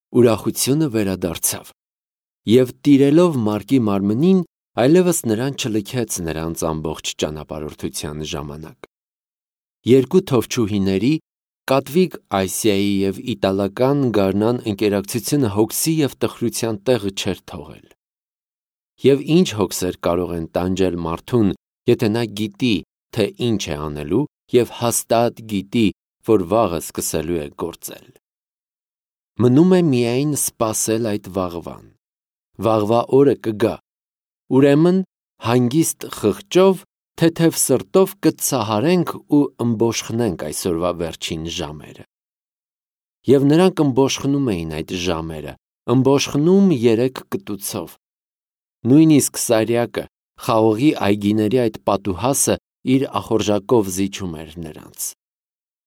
Ուրախությունը վերադարձավ, և տիրելով Մարկի մարմնին, այլևս նրան չլքեց նրանց ամբողջ ճանապարհորդության ժամանակ։ Երկու թովչուհիների, Կատվիկ Այսիայի և իտալական գարնան ընկերակցությունը հոգսի և տխրության տեղը չէր թողել։ Եվ ինչ հոգսեր կարող են տանջել մարդուն, եթե նա գիտի, թե ինչ է անելու և հաստատ գիտի, որ վաղը սկսելու է գործել։ Մնում է միայն սպասել այդ վաղվան։ Վաղվա օրը կգա, ուրեմն հանգիստ խղճով, թեթև սրտով կցահարենք ու ըմբոշխնենք այսօրվա վերջին ժամերը։ Եվ նրանք ըմբոշխնում էին այդ ժամերը, ըմբոշխնում 3 կտուցով։ Նույնիսկ Սարյակը, խաղողի այգիների այդ պատուհասը իր ախորժակով զիջում էր նրանց։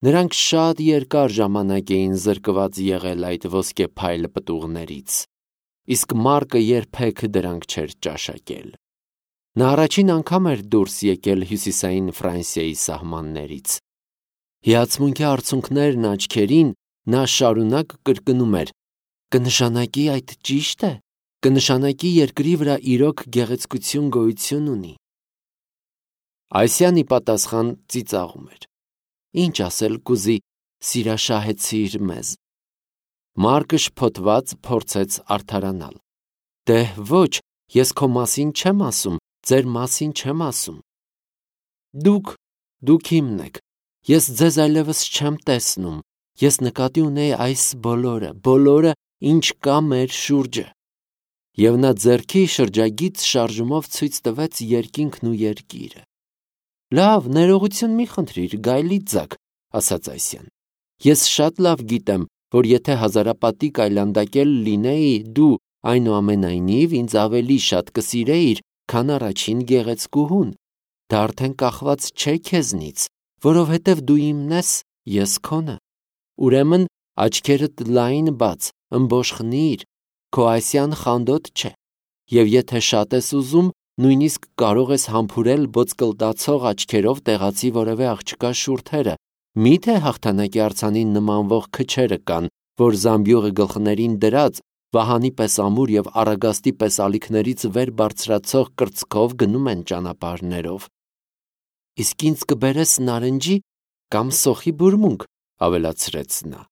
Նրանք շատ երկար ժամանակ էին զրկված եղել այդ ոսկեփայլ պտուղներից, իսկ Մարկը երբեք դրանք չէր ճաշակել։ Նա առաջին անգամ էր դուրս եկել հյուսիսային Ֆրանսիայի սահմաններից։ Հիացմունքի արցունքներն աչքերին նա շարունակ կրկնում էր. «Կնշանակի այդ ճիշտ է, կնշանակի երկրի վրա իրոք գեղեցկություն գոյություն ունի»։ Այսյանի պատասխան ծիծաղում էր. «Ինչ ասել կուզի, սիրաշահեցիր մեզ»։ Մարկը շփոթված փորձեց արդարանալ. «Դե ոչ, ես քո մասին չեմ ասում, ձեր մասին չեմ ասում։ Դուք իմն եք, ես ձեզ այլևս չեմ տեսնում, ես նկատի ունեի այս բոլորը, ինչ կա մեր շուրջը»։ Եվ նա ձեռքի շրջագիծ շարժումով ցույց տվեց երկինքն ու երկիրը։ «Լավ, ներողություն մի խնդրիր, գայլի ձագ», ասաց Այսյան։ «Ես շատ լավ գիտեմ, որ եթե հազարապատիկ այլանդակել լինեի, դու, այնուամենայնիվ, ինձ ավելի շատ կսիրեիր, քան առաջին գեղեցկուհուն։ Դա արդեն կախված չէ քեզնից, որովհետև դու իմն ես, ես քոնը։ Ուրեմն աչքերդ լայն բաց, ըմբոշխնիր, քո Այսյան խանդոտ չէ, և եթե շատ ես ուզում, նույնիսկ կարող ես համբուրել ոսկլտացող աչքերով տեղացի որևէ աղջկա շուրթերը։ Մի՞թե հաղթանակի արձանին նմանվող քչերը կան, որ զամբյուղը գլխներին դրած, վահանի պես ամուր և առագաստի պես ալիքներից վեր բարձրացող կրծքով գնում են ճանապարհներով։ Իսկ ինձ կբերես նարնջի կամ սոխի բուրմունք», ավելացրեց նա։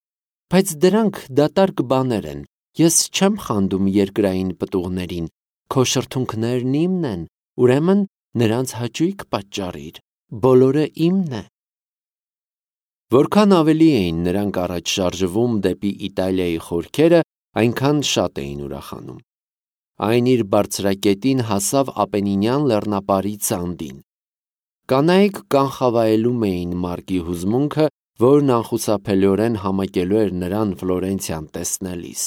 «Բայց դրանք դատարկ բաներ են, ես չեմ խանդում երկրային պտուղներին, քո շրթունքներն իմն են, ուրեմն նրանց հաճույք պատճառիր, բոլորը իմն է»։ Որքան ավելի էին նրանք առաջ շարժվում դեպի Իտալիայի խորքերը, այնքան շատ էին ուրախանում։ Այն իր բարձրակետին հասավ Ապենինյան լեռնապարի ծանդին։ Կանայք կանխավայելում էին Մարկի հուզմունքը, որն անխուսափելիորեն համակելու էր նրան Ֆլորենցիան տեսնելիս։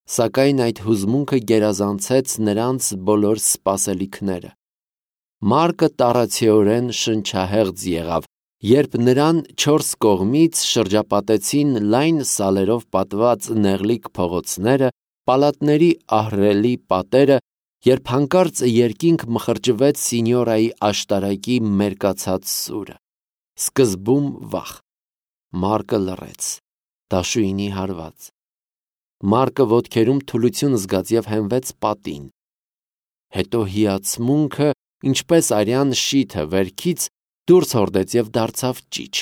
Սակայն այդ հուզմունքը գերազանցեց նրանց բոլոր սպասելիքները։ Մարկը տառացիորեն շնչահեղձ եղավ, երբ նրան 4 կողմից շրջապատեցին լայն սալերով պատված նեղլիկ փողոցները, պալատների ահռելի պատերը, երբ հանկարծ երկինք մխրճվեց սինյորայի աշտարակի մերկացած սուրը։ Սկզբում վախ։ Մարկը լռեց, դաշույնի հարված։ Մարկը ոտքերում թուլություն զգաց և հենվեց պատին։ Հետո հիացմունքը, ինչպես արյան շիթը վերքից, դուրս հորդեց և դարձավ ճիչ։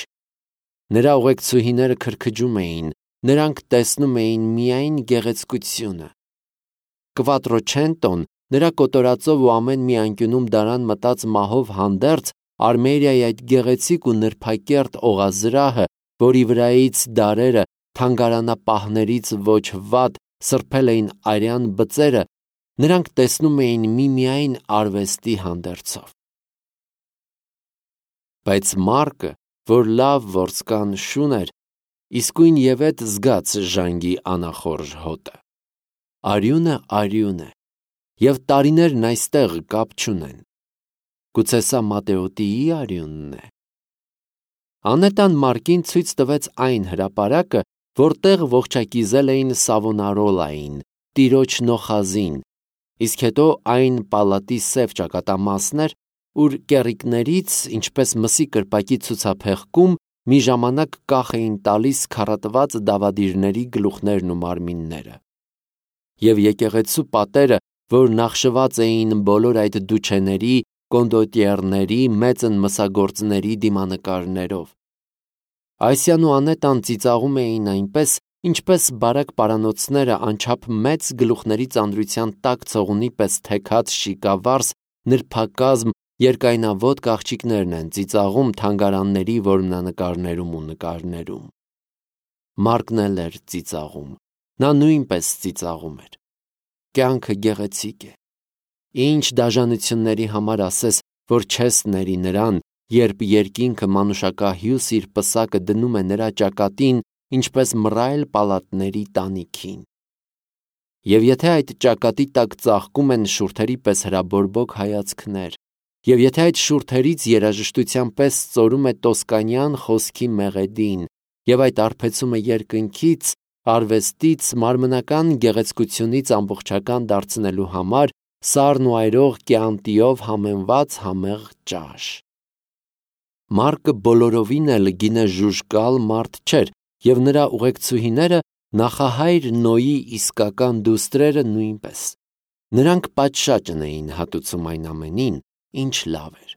Նրա ուղեկցուհիները քրքջում էին, նրանք տեսնում էին միայն գեղեցկությունը։ Կվատրոչենտոն, նրա կոտորածով ու ամեն մի անկյունում դարան մտած մահով հանդերձ, Արմերիայի այդ գեղեցիկ ու նրբակերտ օղազրահը, որի վրայից դարերը թանգարանապահներից ոչ վատ սրբել էին արյան բծերը, նրանք տեսնում էին միմիայն արվեստի հանդերձով։ Բայց Մարկը, որ լավ որսկան շուն էր, իսկույն ևեթ զգաց ժանգի անախորժ հոտը։ Արյուն է, և տարիներն այստեղ կապ չունեն։ Գուցե սա Մատեոտիի արյունն է։ Անետան Մարկին ցույց տվեց այն հրապարակը, որտեղ ողջակիզել էին Սավոնարոլային, տիրոջ նոխազին, իսկ հետո այն պալատի սև ճակատամասն էր, ուր կեռիկներից, ինչպես մսի կրպակի ցուցափեղկում, մի ժամանակ կախ էին տալիս քառատված դավադիրների գլուխներն ու մարմինները։ Եվ եկեղեցու պատերը, որ նախշված էին բոլոր այդ դուչեների, կոնդոտիերների, մեծն մսագործների դիմանկարներով։ Այսյան ու Անետան ծիծաղում էին այնպես, ինչպես բարակ պարանոցները անչափ մեծ գլուխների ծանրության տակ ցողունի պես թեքած շիկավարս, նրբակազմ, երկայնավոտ աղջիկներն են ծիծաղում թանգարանների որմնանկարներում ու նկարներում։ Մարկն էլ էր ծիծաղում, նա նույնպես ծիծաղում էր։ Կյանքը գեղեցիկ է։ Ինչ դաժանությունների համար ասես, որ չես ների նրան, երբ երկինքը մանուշակահյուս իր պսակը դնում է նրա ճակատին, ինչպես մռայլ պալատների տանիքին։ Եվ եթե այդ ճակատի տակ ծաղկում են շուրթերի պես հրաբորբոք հայացքներ, և եթե այդ շուրթերից երաժշտության պես ծորում է տոսկանյան խոսքի մեղեդին, և այդ արբեցում է երկնքից, արվեստից, մարմնական գեղեցկությունից ամբողջական դարձնելու համար սառն ու այրող կյանտիով համեմված համեղ ճաշ։ Մարկը բոլորովին էլ գինը ժուժկալ մարդ չէր, և նրա ուղեկցուհիները նախահայր Նոյի իսկական դուստրերը նույնպես։ Նրանք պատշաճն էին հատուցում այն ամենին, ինչ լավ էր։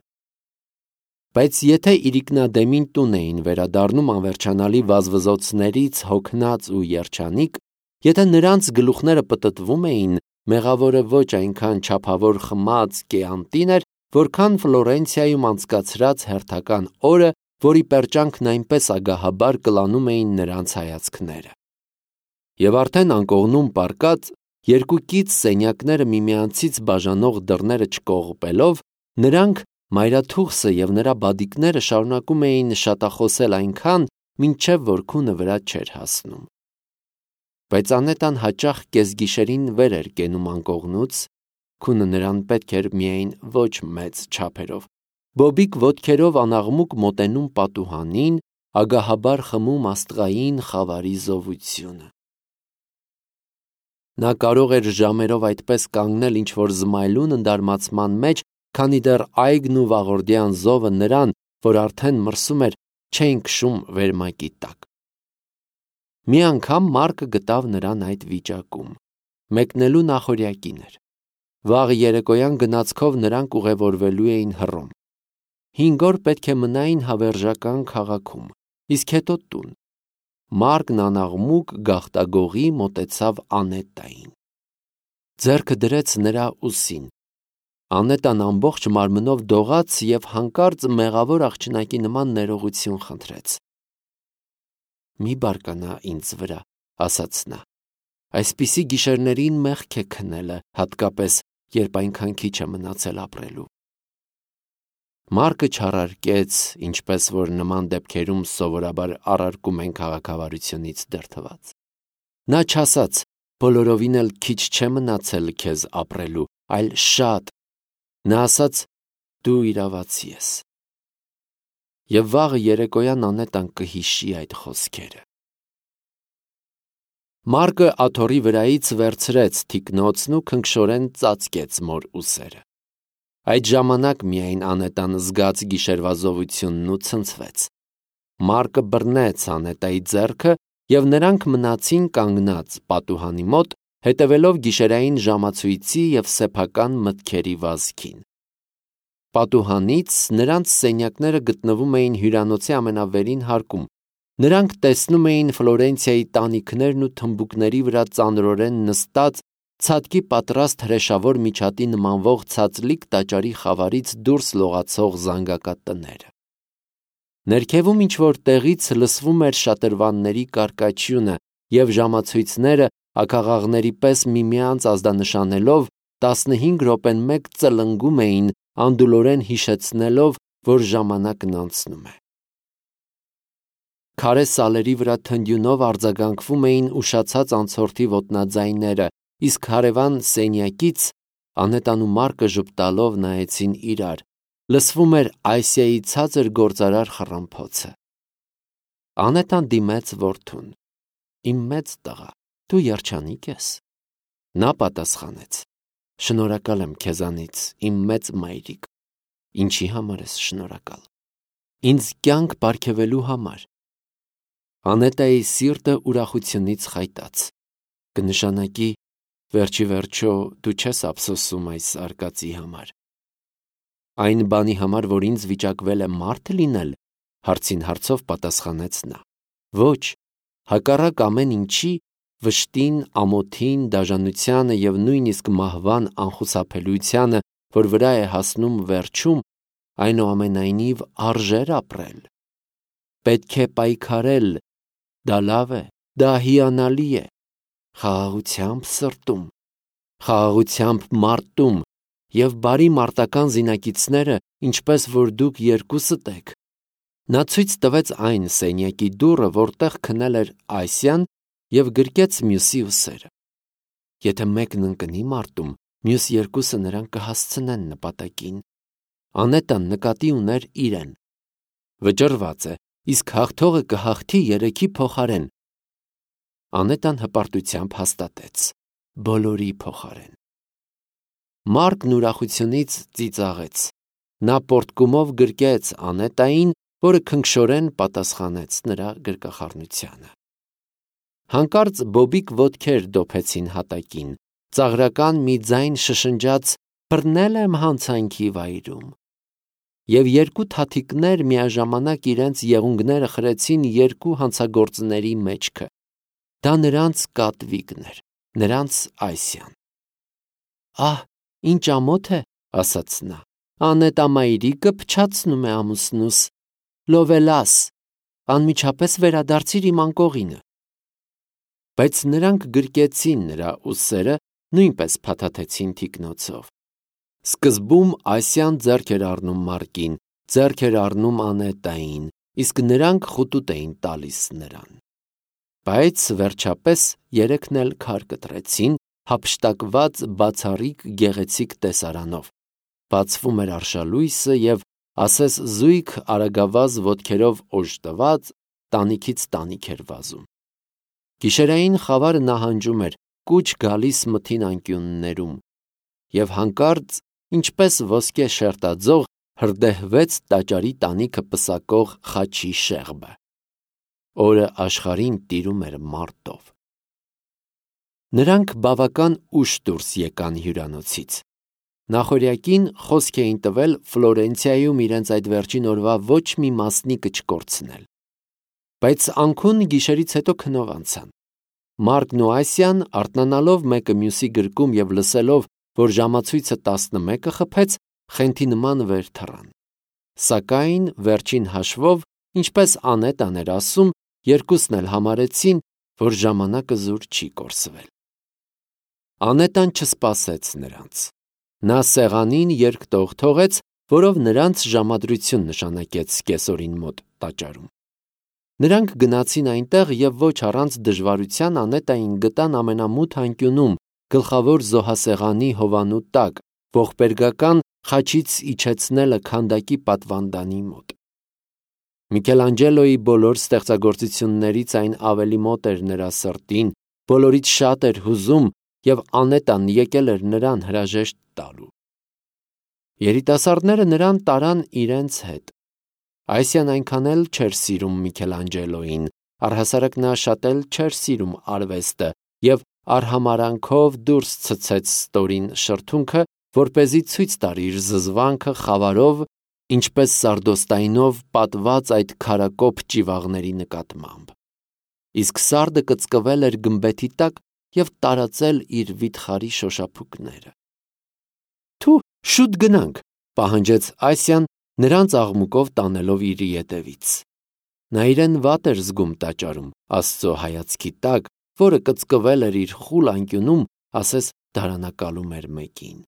Բայց եթե իրիկնադեմին տուն էին վերադառնում անվերջանալի վազվզոցներից հոգնած ու երջանիկ, եթե նրանց գլուխները պտտվում էին, մեղավորը ոչ այնքան չափավոր խմած կեանտին էր, որքան Ֆլորենցիայում անցկացրած հերթական օրը, որի պերճանքն այնպես ագահաբար կլանում էին նրանց հայացքները։ Եվ արդեն անկողնում պառկած, երկու կից սենյակները միմյանցից բաժանող դռները չկողպելով, նրանք, մայրաթուղթը և նրա բադիկները շարունակում էին շատախոսել այնքան, մինչև որ քունը վրա չէր հասնում։ Բայց Անետան հաճախ կեսգիշերին վեր էր կենում անկողնուց, քունը նրան պետք էր միայն ոչ մեծ չափերով, բոբիկ ոտքերով անաղմուկ մոտենում պատուհանին, ագահաբար խմում աստղային խավարի զովությունը։ Նա կարող էր ժամերով այդպես կանգնել ինչ-որ զմայլուն ընդարմացման մեջ, քանի դեռ այգն ու վաղորդյան զովը նրան, որ արդեն մրսում էր, չէին քշում վերմակի տակ։ Մի անգամ Մարկը գտավ նրան այդ վիճակում։ Մեկնելու նախօրյակին էր։ Վաղ երեկոյան գնացքով նրանք ուղևորվելու էին Հռոմ։ 5 օր պետք է մնային հավերժական քաղաքում, իսկ հետո տուն։ Մարկն անաղմուկ գաղտագողի մոտեցավ Անետային։ Ձեռքը դրեց նրա ուսին։ Անետան ամբողջ մարմնով դողաց և հանկարծ մեղավոր աղջնակի նման ներողություն խնդրեց։ «Մի բարկանա ինձ վրա», ասաց նա։ «Այսպիսի գիշերներին մեղք է քնելը, հատկապես, երբ այնքան քիչ է մնացել ապրելու»։ Մարկը չառարկեց, ինչպես որ նման դեպքերում սովորաբար առարկում են քաղաքավարությունից դրդված։ Նա չասաց. «Բոլորովին էլ քիչ չէ մնացել քեզ ապրելու, այլ շատ»։ Նա ասաց. «Դու իրավացի ես»։ Եվ վաղը երեկոյան Անետան կհիշի այդ խոսքերը։ Մարկը աթոռի վրայից վերցրեց թիկնոցն ու քնքշորեն ծածկեց մոր ուսերը։ Այդ ժամանակ միայն Անետան զգաց գիշերվա զովությունն ու ցնցվեց։ Մարկը բռնեց Անետայի ձեռքը, և նրանք մնացին կանգնած պատուհանի մոտ, հետևելով գիշերային ժամացույցի և սեփական մտքերի վազքին։ Պատուհանից նրանց սենյակները գտնվում էին հյուրանոցի ամենավերին հարկում։ Նրանք տեսնում էին Ֆլորենցիայի տանիքներն ու թմբուկների վրա ծանրորեն նստած, ցատկի պատրաստ հրեշավոր միջատի նմանվող ցածլիկ տաճարի խավարից դուրս լողացող զանգակատները։ Ներքևում ինչ-որ տեղից լսվում էր շատրվանների կարկաչյունը, և ժամացույցները աքաղաղների պես միմյանց ազդանշանելով 15 րոպեն մեկ ծլնգում էին, անդուլորեն հիշեցնելով, որ ժամանակն անցնում է։ Քարե սալերի վրա թնդյունով արձագանքվում էին ուշացած անցորդի ոտնաձայները, իսկ հարևան սենյակից Անետան ու Մարկը ժպտալով նայեցին իրար, լսվում էր Այսիայի ցածր գործարար խռմփոցը։ Անետան դիմեց որդուն. «Իմ մեծ տղա, դու երջանիկ ես»։ Նա պատասխանեց. «Շնորհակալ եմ քեզանից, իմ մեծ մայրիկ»։ Ինչի համար ես շնորհակալ։ ինձ կյանք պարգևելու համար։ Անետայի սիրտը ուրախությունից խայտաց, կնշանակի վերջի վերջո դու չես ափսոսում այս արկածի համար։ Այն բանի համար, որ ինձ վիճակվել է մարդ լինել, հարցին հարցով պատասխանեց նա։ Ոչ, հակառակ ամեն ինչի, վշտին, ամոթին, դաժանությանը և նույնիսկ մահվան անխուսափելիությանը, որ վրա է հասնում վերջում, այնուամենայնիվ արժեր ապրել։ Պետք է պայքարել, դա լավ է, դա հիանալի է, խաղաղությամբ սրտում, խաղաղությամբ մարտում և բարի մարտական զինակիցները, ինչպես որ դուք երկուսդ եք։ Նա ցույց տվեց այն սենյակի դուռը, որտեղ քնել էր Ասիան, և գրկեց մյուսի ուսերը։ Եթե մեկն ընկնի մարտում, մյուս երկուսը նրան կհասցնեն նպատակին։ Անետան նկատի ուներ իրեն։ Վճռված է, իսկ հաղթողը կհաղթի երեքի փոխարեն։ Անետան հպարտությամբ հաստատեց. բոլորի փոխարեն։ Մարկն ուրախությունից ծիծաղեց։ Նա պոռթկումով գրկեց Անետային, որը քնքշորեն պատասխանեց նրա գրկախառնությանը։ Հանկարծ բոբիկ ոտքեր դոփեցին հատակին, ծաղրական մի ձայն շշնջաց. բռնել եմ հանցանքի վայրում։ Եվ երկու թաթիկներ միաժամանակ իրենց եղունգները խրեցին երկու հանցագործների մեջքը։ Դա նրանց Կատվիկն էր, նրանց Ասիան։ Ահ, ինչ ամոթ է, ասաց նա, Անետա մայրիկը փչացնում է ամուսնուս, լովելաս, անմիջապես վերադարձիր իմ անկողինը։ Բայց նրանք գրկեցին նրա ուսերը, նույնպես փաթաթեցին թիկնոցով։ Սկզբում Ասիան ձեռք էր առնում Մարկին, ձեռք էր առնում Անետային, իսկ նրանք խուտուտ էին տալիս նրան։ Բայց վերջապես երեքն էլ քար կտրեցին, հափշտակված բացառիկ գեղեցիկ տեսարանով։ Բացվում էր արշալույսը և ասես զույգ արագավազ ոտքերով օժտված տանիքից տանիք էր վազում։ Գիշերային խավարը նահանջում էր, կուչ գալիս մթին անկյուններում, և հանկարծ, ինչպես ոսկե շերտաձող, հրդեհվեց տաճարի տանիքը պսակող խաչի շեղբը։ Օրը աշխարհին տիրում էր մարտով։ Նրանք բավական ուշ դուրս եկան հյուրանոցից։ Նախօրյակին խոսք էին տվել Ֆլորենցիայում իրենց այդ վերջին օրվա ոչ մի մասնիկը չկորցնել։ Բայց անքուն գիշերից հետո քնով անցան։ Մարկն ու Ասիան, արթնանալով մեկը մյուսի գրկում և լսելով, որ ժամացույցը 11 խփեց, խենթի նման վեր թռան։ Սակայն վերջին հաշվով, ինչպես Անետան էր ասում, երկուսն էլ համարեցին, որ ժամանակը զուր չի կորսվել։ Անետան չսպասեց նրանց։ Նա սեղանին երկտող թողեց, որով նրանց ժամադրություն նշանակեց կեսօրին մոտ տաճարում։ Նրանք գնացին այնտեղ և ոչ առանց դժվարության Անետային գտան ամենամութ անկյունում, գլխավոր զոհասեղանի հովանու տակ, ողբերգական խաչից իջեցնելը քանդակի պատվանդանի մոտ։ Միքելանջելոյի բոլոր ստեղծագործություններից այն ավելի մոտ էր նրա սրտին, բոլորից շատ էր հուզում, և Անետան եկել էր նրան հրաժեշտ տալու։ Երիտասարդները նրան տարան իրենց հետ։ Ասիան այնքան էլ չէր սիրում Միքելանջելոյին, առհասարակ նա շատ էլ չէր սիրում արվեստը և արհամարհանքով դուրս ցցեց ստորին շրթունքը, որպեսզի ցույց տար իր զզվանքը խավարով, ինչպես սարդոստայնով պատված այդ քարակոփ ճիվաղների նկատմամբ։ Իսկ սարդը կծկվել էր գմբեթի տակ և տարածել իր վիթխարի շոշափուկները։ Թու, շուտ գնանք, պահանջեց Ասիան, նրանց աղմուկով տանելով իր ետևից։ Նա իրեն վատ էր զգում տաճարում, Աստծո հայացքի տակ, որը կծկվել էր իր խուլ անկյունում, ասես դարանակալում էր մեկին։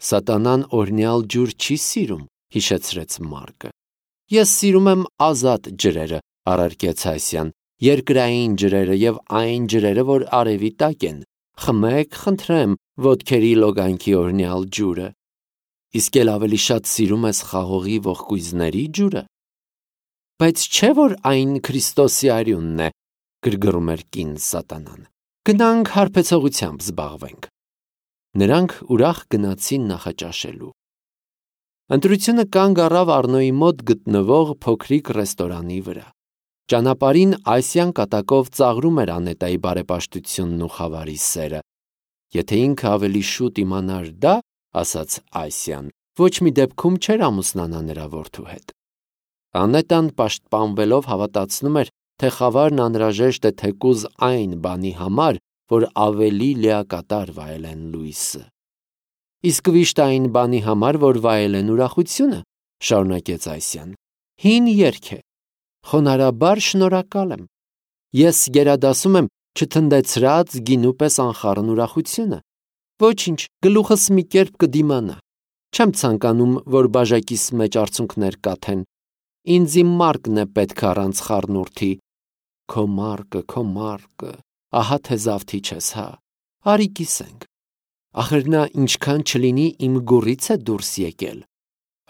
Սատանան օրհնյալ ջուր չի սիրում, հիշեցրեց Մարկը։ Ես սիրում եմ ազատ ջրերը, առարկեց Ասիան, երկրային ջրերը և այն ջրերը, որ արևի տակ են։ Խմեք, խնդրեմ, ոտքերի լոգանքի օրհնյալ ջուրը։ Իսկ էլ ավելի շատ սիրում ես խաղողի ողկույզների ջուրը։ Բայց չէ՞ որ այն Քրիստոսի արյունն է, գրգռում էր կին Սատանան։ Գնանք հարբեցողությամբ զբաղվենք։ Նրանք ուրախ գնացին նախաճաշելու։ Ընտրությունը կանգ առավ Առնոյի մոտ գտնվող փոքրիկ ռեստորանի վրա։ Ճանապարհին Ասիան կատակով ծաղրում էր Անետայի բարեպաշտությունն ու խավարի սերը։ Եթե ինքը ավելի շուտ իմանար դա, ասաց Ասիան, ոչ մի դեպքում չէր ամուսնանա նրա որդու հետ։ Անետան պաշտպանվելով հավատացնում էր, թե խավարն անհրաժեշտ է թեկուզ այն բանի համար, որ ավելի լիակատար վայելեն լույսը։ Իսկ վիշտ այն բանի համար, որ վայելեն ուրախությունը, շարունակեց Ասիան, հին երգ է, խոնարհաբար շնորհակալ եմ։ Ես գերադասում եմ չթնդեցրած գինու պես անխառն ուրախությունը։ Ոչինչ, գլուխս մի կերպ կդիմանա։ Չեմ ցանկանում, որ բաժակիս մեջ արցունքներ կաթեն։ Ինձ իմ մարկն է պետք առանց խառնուրդի։ Քո մարկը, ահա թե զավթիչ ես, հա։ Արի կիսենք։ Ախր նա ինչքան չլինի իմ գուռից է դուրս եկել։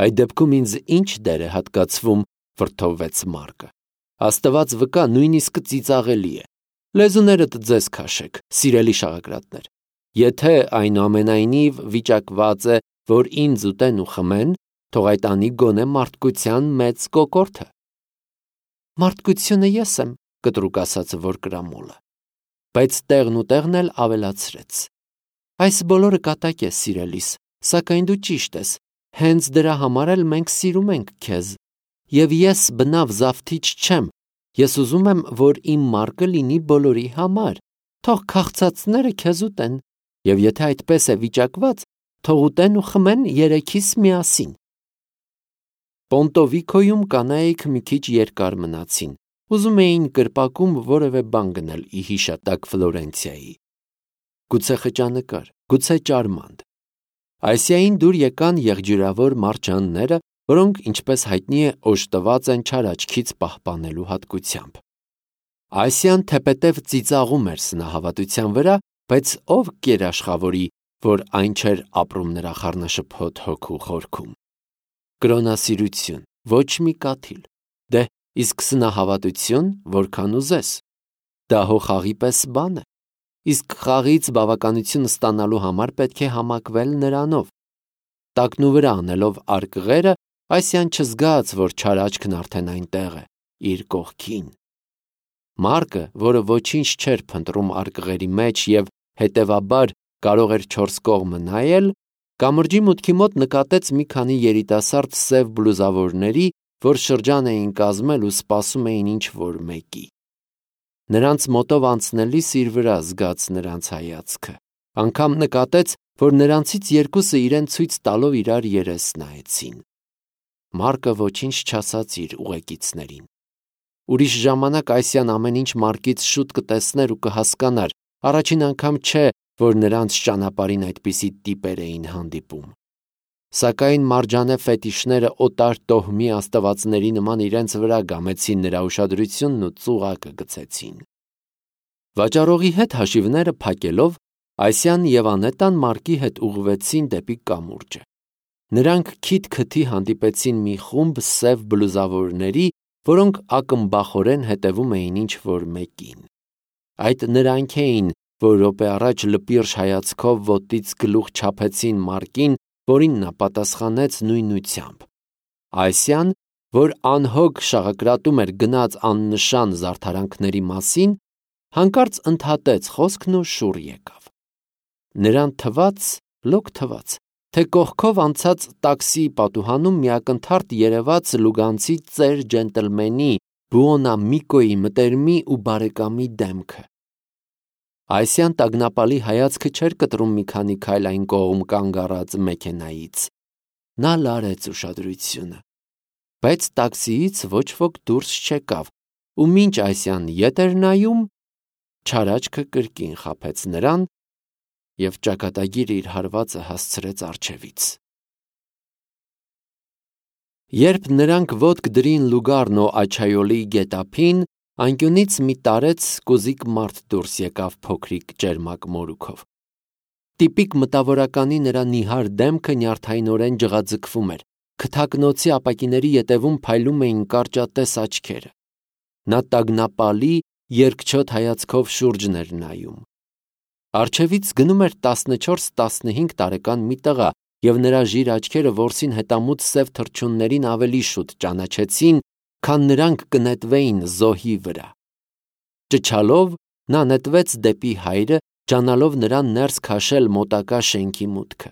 Այդ դեպքում ինձ ինչ դեր է հատկացվում, վրդովվեց Մարկը։ Աստված վկա, նույնիսկ ծիծաղելի է։ Լեզուներդ ձեզ քաշեք, սիրելի շաղակրատներ։ Եթե այնուամենայնիվ վիճակված է, որ ինձ ուտեն ու խմեն, թող այդ անի գոնե մարդկության մեծ կոկորդը։ Մարդկությունը ես եմ, կտրուկ ասաց Որկրամոլը, բայց տեղն ու տեղն էլ ավելացրեց։ Այս բոլորը կատակ է, սիրելիս, սակայն դու ճիշտ ես, հենց դրա համար էլ մենք սիրում ենք քեզ։ Եվ ես բնավ զավթիչ չեմ, ես ուզում եմ, որ իմ մարկը լինի բոլորի համար, թող քաղցածները քեզ ուտեն, և եթե այդպես է վիճակված, թող ուտեն ու խմեն երեքիս միասին։ Պոնտովիկոյում կանայք մի քիչ երկար մնացին, ուզում էին կրպակում որևէ բան գնել ի հիշատակ Ֆլորենցիայի։ Գուցե խճանկար, գուցե ճարմանդ։ Ասիային դուր եկան եղջյուրավոր մարջանները, որոնք, ինչպես հայտնի է, օժտված են չար աչքից պահպանելու հատկությամբ։ Ասիան թեպետև ծիծաղում էր սնահավատության վրա, բայց ով կերաշխավորի, որ այն չէր ապրում նրա խառնաշփոթ հոգու խորքում։ Կրոնասիրություն, ոչ մի կաթիլ։ Դե, իսկ սնահավատություն, որքան ուզես։ Դա հո խաղի պես բան է։ Իսկ խաղից բավականություն ստանալու համար պետք է համակվել նրանով։ Տակնու վրա անելով արկղերը, Ասիան չզգաց, որ չար աչքն արդեն այնտեղ է, իր կողքին։ Մարկը, որը ոչինչ չէր փնտրում արկղերի մեջ և հետևաբար կարող էր չորս կողմը նայել, կամրջի մուտքի մոտ նկատեց մի քանի երիտասարդ սև բլուզավորների, որ շրջան էին կազմել ու սպասում էին ինչ-որ մեկի։ Նրանց մոտով անցնելիս իր վրա զգաց նրանց հայացքը, անգամ նկատեց, որ նրանցից երկուսը իրեն ցույց տալով իրար երես նայեցին։ Մարկը ոչինչ չասաց իր ուղեկիցներին։ Ուրիշ ժամանակ Ասիան ամեն ինչ Մարկից շուտ կտեսներ ու կհասկանար, առաջին անգամ չէ, որ նրանց ճանապարհին այդպիսի տիպեր էին հանդիպում։ Սակայն մարջանե ֆետիշները օտար տոհմի աստվածների նման իրենց վրա գամեցին նրա ուշադրությունն ու ծուղակը գցեցին։ Վաճառողի հետ հաշիվները փակելով, Ասիան և Անետան Մարկի հետ ուղղվեցին դեպի կամուրջը։ Նրանք քիթ-քթի հանդիպեցին մի խումբ սև բլուզավորների, որոնք ակմբախորեն հետևում էին ինչ-որ մեկին։ Այդ նրանք էին, որ րոպե առաջ լպիրշ հայացքով ոտից գլուխ չափեցին Մարկին, որին նա պատասխանեց նույնությամբ։ Ասիան, որ անհոգ շաղակրատում էր գնած աննշան զարդարանքների մասին, հանկարծ ընդհատեց խոսքն ու շուռ եկավ։ Նրան լոկ թվաց, թե կողքով անցած տաքսիի պատուհանում մի ակնթարթ երևաց լուգանցի ծեր ջենտլմենի Բուոնամիկոյի մտերմի ու բարեկամի դեմքը։ Ասիան տագնապալի հայացքը չէր կտրում մի քանի քայլ այն կողմ կանգ առած մեքենայից։ Նա լարեց ուշադրությունը, բայց տաքսիից ոչ ոք դուրս չեկավ, ու մինչ Ասիան ետ էր նայում, չար աչքը կրկին խաբեց նրան և ճակատագիրը իր հարվածը հասցրեց առջևից։ Երբ նրանք ոտք դրին Լուգարնո Աչայոլի գետափին, անկյունից մի տարեց կոզիկ մարդ դուրս եկավ փոքրիկ ճերմակ մորուքով։ Տիպիկ մտավորականի նրա նիհար դեմքը նյարդայնորեն ջղաձգվում էր, քթակնոցի ապակիների ետևում փայլում էին կարճատես աչքերը։ Նա տագնապալի, երկչոտ հայացքով շուրջն էր նայում։ Առջևից գնում էր 14-15 տարեկան մի տղա, և նրա ժիր աչքերը որսին հետամուտ սև թռչուններին ավելի շուտ ճանաչեցին, քան նրանք կնետվեին զոհի վրա։ Ճչալով նա նետվեց դեպի հայրը, ջանալով նրան ներս քաշել մոտակա շենքի մուտքը։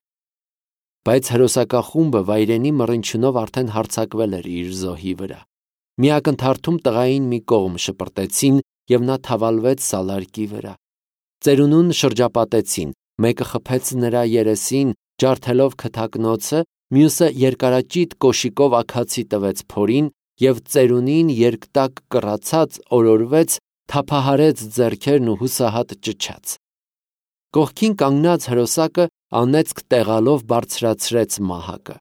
Բայց հրոսակախումբը վայրենի մռնչյունով արդեն հարձակվել էր իր զոհի վրա։ Մի ակնթարթում տղային մի կողմ շպրտեցին, և նա թավալվեց սալարկի վրա։ Ծերունուն շրջապատեցին, մեկը խփեց նրա երեսին, ջարդելով քթակնոցը, մյուսը երկարաճիտ կոշիկով աքացի տվեց փորին, և ծերունին երկտակ կռացած օրորվեց, թափահարեց ձեռքերն ու հուսահատ ճչաց։ Կողքին կանգնած հրոսակը անեծք տեղալով բարձրացրեց մահակը։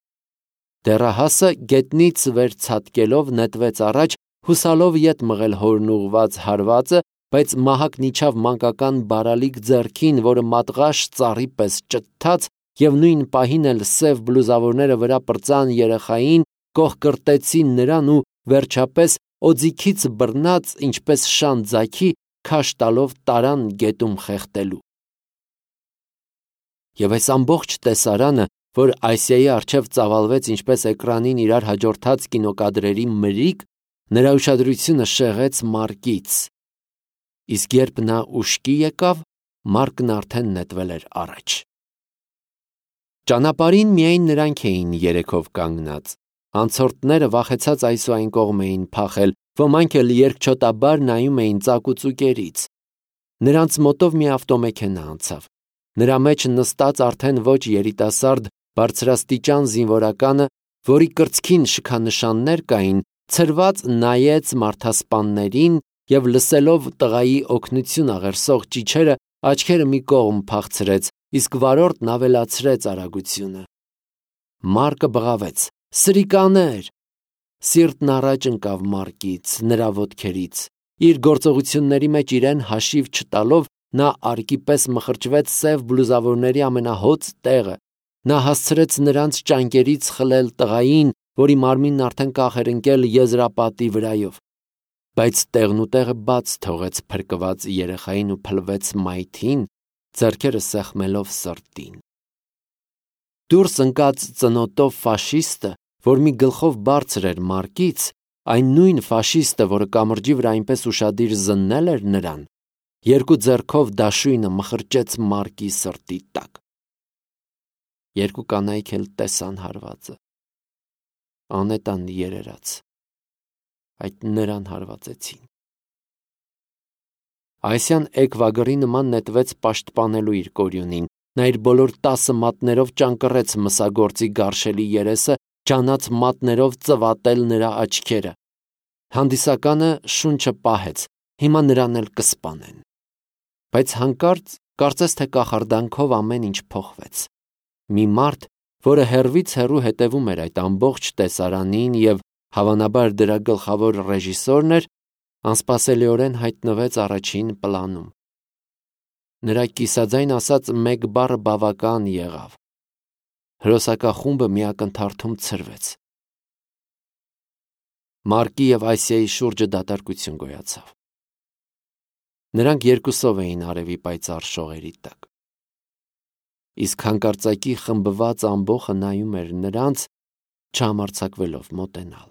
Դեռահասը գետնից վեր ցատկելով նետվեց առաջ, հուսալով ետ մղել հորն ուղված հարվածը, բայց մահակն իջավ մանկական բարալիկ ձեռքին, որը մատղաշ ծառի պես ճթաց, և նույն պահին էլ սև բլուզավորները վրա պրծան երեխային, կոխկրտեցին նրան ու վերջապես օձիքից բռնած, ինչպես շան ձագի, քաշ տալով տարան գետում խեղդելու։ Եվ այս ամբողջ տեսարանը, որ Այսիայի առջև ծավալվեց ինչպես էկրանին իրար հաջորդած կինոկադրերի մրրիկ, նրա ուշադրությունը շեղեց Մարկից, իսկ երբ նա ուշքի եկավ, Մարկն արդեն նետվել էր առաջ։ Ճանապարհին միայն նրանք էին երեքով կանգնած։ Անցորդները վախեցած այս ու այն կողմ էին փախել, ոմանք էլ երկչոտաբար նայում էին ծակուծուկերից։ Նրանց մոտով մի ավտոմեքենա անցավ։ Նրա մեջ նստած արդեն ոչ երիտասարդ, բարձրաստիճան զինվորականը, որի կրծքին շքանշաններ կային, ցրված նայեց մարդասպաններին և լսելով տղայի օգնություն աղերսող ճիչերը, աչքերը մի կողմ փախցրեց, իսկ վարորդն ավելացրեց արագությունը։ Մարկը բղավեց. «Սրիկաներ»։ Սիրտն առաջ ընկավ Մարկից, նրա ոտքերից։ Իր գործողությունների մեջ իրեն հաշիվ չտալով, նա արկի պես մխրճվեց սև բլուզավորների ամենահոծ տեղը։ Նա հասցրեց նրանց ճանկերից խլել տղային, որի մարմինն արդեն կախ էր ընկել եզրապատի վրայով։ Բայց տեղնուտեղը բաց թողեց փրկված երեխային ու փլվեց մայթին, ձեռքերը սեղմելով սրտին։ Դուրս ընկած ծնոտով ֆաշիստը, որ մի գլխով բարձր էր Մարկից, այն նույն ֆաշիստը, որը կամրջի վրա այնպես ուշադիր զննել էր նրան, երկու ձեռքով դաշույնը մխրճեց Մարկի սրտի տակ։ Երկու կանայք էլ տեսան հարվածը։ Անետան երերաց, այդ նրան հարվածեցին։ Այսյան էկվագրի նման նետվեց պաշտպանելու իր կորյունին։ Նա իր բոլոր 10 մատներով ճանկռեց մսագործի գարշելի երեսը, ջանաց մատներով ծվատել նրա աչքերը։ Հանդիսականը շունչը պահեց, հիմա նրան էլ կսպանեն։ Բայց հանկարծ, կարծես թե կախարդանքով ամեն ինչ փոխվեց։ Մի մարդ, որը հեռվից հեռու հետևում էր այդ ամբողջ տեսարանին և հավանաբար դրա գլխավոր ռեժիսորն էր, անսպասելիորեն հայտնվեց առաջին պլանում։ Նրա կիսաձայն ասած մեկ բառը բավական եղավ։ Հրոսակախումբը մի ակնթարթում ցրվեց։ Մարկի և Այսիայի շուրջը դատարկություն գոյացավ։ Նրանք երկուսով էին արևի պայծառ շողերի տակ։ Իսկ հանկարծակի խմբված ամբոխը նայում էր նրանց, չհամարձակվելով մոտենալ։